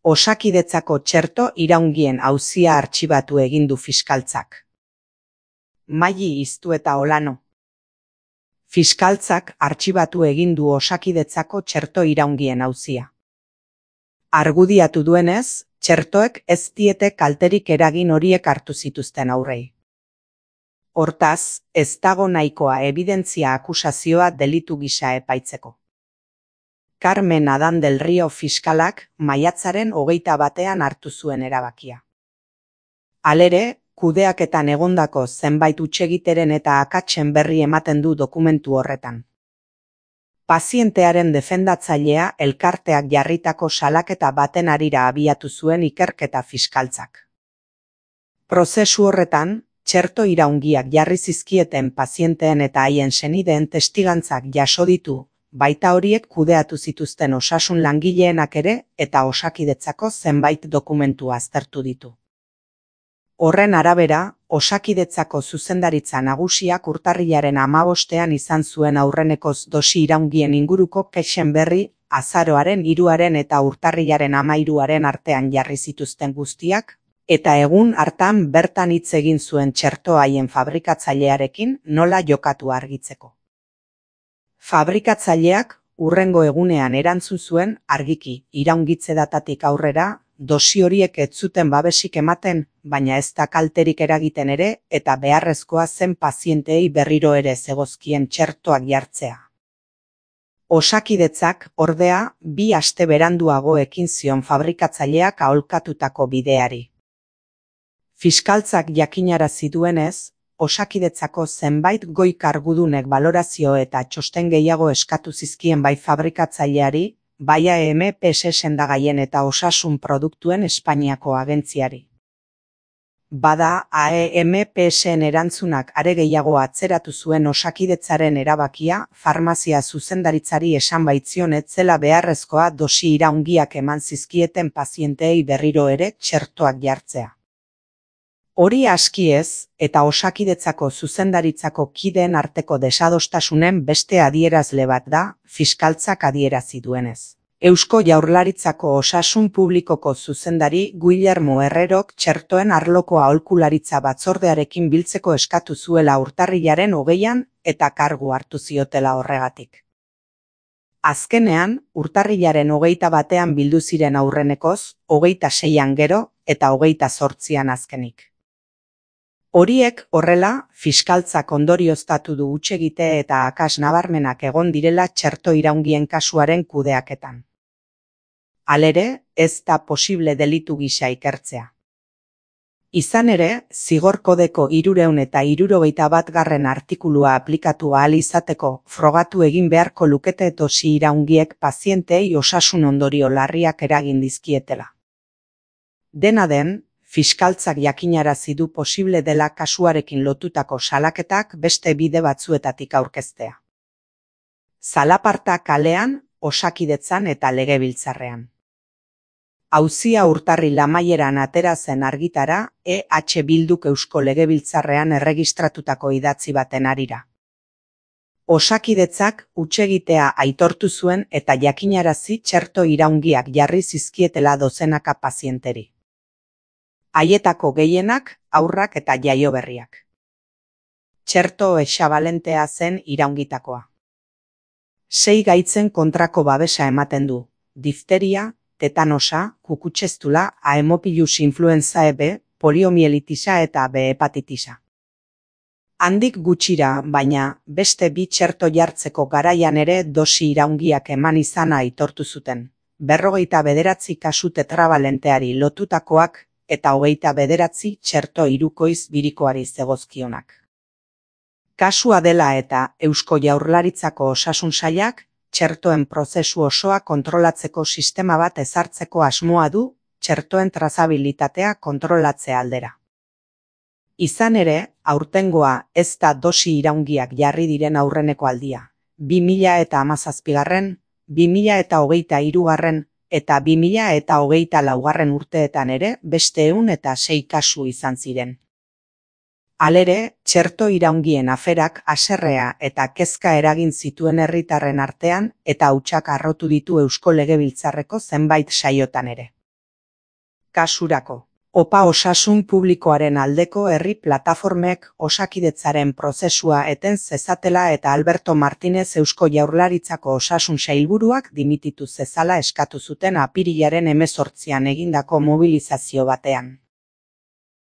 Osakidetzako txerto iraungien auzia artxibatu egin du fiskaltzak. Maili Iztueta Olano. Fiskaltzak artxibatu egin du Osakidetzako txerto iraungien auzia. Argudiatu duenez, txertoek ez diete kalterik eragin horiek hartu zituzten aurrei. Hortaz, ez dago nahikoa ebidentzia akusazioa delitu gisa epaitzeko. Carmen Adán del Río fiskalak maiatzaren 21 hartu zuen erabakia. Halere, kudeaketan egondako zenbait hutsegiteren eta akatsen berri ematen du dokumentu horretan. Pazientearen defendatzailea elkarteak jarritako salaketa baten harira abiatu zuen ikerketa fiskaltzak. Prozesu horretan, txerto iraungiak jarri zizkieten pazienteen eta haien senideen testigantzak jaso ditu, baita horiek kudeatu zituzten osasun langileenak ere eta Osakidetzako zenbait dokumentu aztertu ditu. Horren arabera, Osakidetzako zuzendaritza nagusiak urtarrilaren 15ean izan zuen aurrenekoz dosi iraungien inguruko kexen berri, azaroaren 3 eta urtarrilaren 13 artean jarri zituzten guztiak, eta egun hartan bertan hitz egin zuen txerto haien fabrikatzailearekin nola jokatu argitzeko. Fabrikatzaileak hurrengo egunean erantzun zuen argiki iraungitze datatik aurrera, dosi horiek ez zuten babesik ematen, baina ez da kalterik eragiten ere eta beharrezkoa zen pazienteei berriro ere zegozkien txertoak jartzea. Osakidetzak, ordea, 2 aste beranduago ekin zion fabrikatzaileak aholkatutako bideari. Fiskaltzak jakinarazi duenez, Osakidetzako zenbait goi kargudunek balorazio eta txosten gehiago eskatu zizkien bai fabrikatzaileari, bai AEMPS sendagaien eta osasun produktuen Espainiako agentziari. Bada, AEMPSen erantzunak are gehiago atzeratu zuen Osakidetzaren erabakia, farmazia zuzendaritzari esan baitzion ez zela beharrezkoa dosi iraungiak eman zizkieten pazienteei berriro ere txertoak jartzea. Hori aski ez, eta Osakidetzako zuzendaritzako kideen arteko desadostasunen beste adierazle bat da, fiskaltzak adierazi duenez. Eusko Jaurlaritzako Osasun Publikoko zuzendari Guillermo Herrerok txertoen arloko aholkularitza batzordearekin biltzeko eskatu zuela urtarrilaren 20an eta kargu hartu ziotela horregatik. Azkenean, urtarrilaren 21ean bildu ziren aurrenekoz, 26an gero eta 28an azkenik. Horiek horrela, fiskaltzak ondorioztatu du hutsegite eta akas nabarmenak egon direla txerto iraungien kasuaren kudeaketan. Halere, ez da posible delitu gisa ikertzea. Izan ere, Zigor Kodeko 371. Artikulua aplikatu ahal izateko frogatu egin beharko lukete dosi iraungiek pazienteei osasun ondorio larriak eragin dizkietela. Dena den, fiskaltzak jakinarazi du posible dela kasuarekin lotutako salaketak beste bide batzuetatik aurkeztea. Zalaparta kalean, Osakidetzan eta Legebiltzarrean. Auzia urtarril amaieran atera zen argitara EH Bilduk Eusko Legebiltzarrean erregistratutako idatzi baten harira. Osakidetzak hutsegitea aitortu zuen eta jakinarazi txerto iraungiak jarri zizkietela dozenaka pazienteri. Haietako gehienak, haurrak eta jaioberriak. Txerto hexabalentea zen iraungitakoa. 6 gaitzen kontrako babesa ematen du, difteria, tetanosa, kukutsestula, Haemophilus influenzae B, poliomielitisa eta B hepatitisa. Handik gutxira, baina, beste 2 txerto jartzeko garaian ere dosi iraungiak eman izana aitortu zuten. 59 kasu tetrabalenteari lotutakoak, eta 29 txerto hirukoiz birikoari zegozkionak. Kasua dela eta Eusko Jaurlaritzako Osasun Sailak, txertoen prozesu osoa kontrolatzeko sistema bat ezartzeko asmoa du, txertoen trazabilitatea kontrolatze aldera. Izan ere, aurtengoa ez da dosi iraungiak jarri diren aurreneko aldia. 2017, 2023 eta 2024 urteetan ere beste 106 kasu izan ziren. Halere, txerto iraungien aferak haserrea eta kezka eragin zituen herritarren artean eta hautsak harrotu ditu Eusko Legebiltzarreko zenbait saiotan ere. Kasurako. OPA osasun publikoaren aldeko herri plataformek Osakidetzaren prozesua eten zezatela eta Alberto Martinez Eusko Jaurlaritzako osasun sailburuak dimititu zezala eskatu zuten apirilaren 18an egindako mobilizazio batean.